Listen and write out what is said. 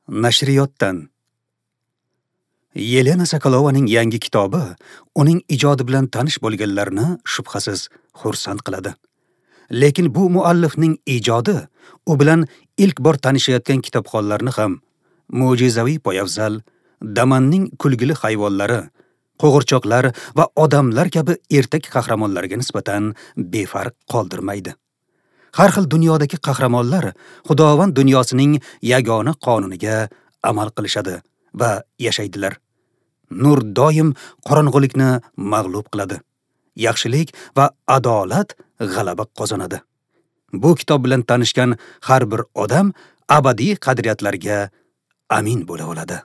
Nashriyotdan. Yelena Sokolovaning yangi kitobi uning ijodi bilan tanish bo'lganlarni shubhasiz xursand qiladi. Lekin bu muallifning ijodi u bilan ilk bor tanishayotgan kitobxonlarni ham mo'jizaviy poyafzal, damanning kulgili hayvonlari, qo'g'irchoqlar va odamlar kabi ertak qahramonlariga nisbatan befarq qoldirmaydi. Har xil dunyodagi qahramonlar Xudovand dunyosining yagona qonuniga amal qilishadi va yashaydilar. Nur doim qorong'ulikni mag'lub qiladi. Yaxshilik va adolat g'alaba qozonadi. Bu kitob bilan tanishgan har bir odam abadiy qadriyatlarga amin bo'la oladi.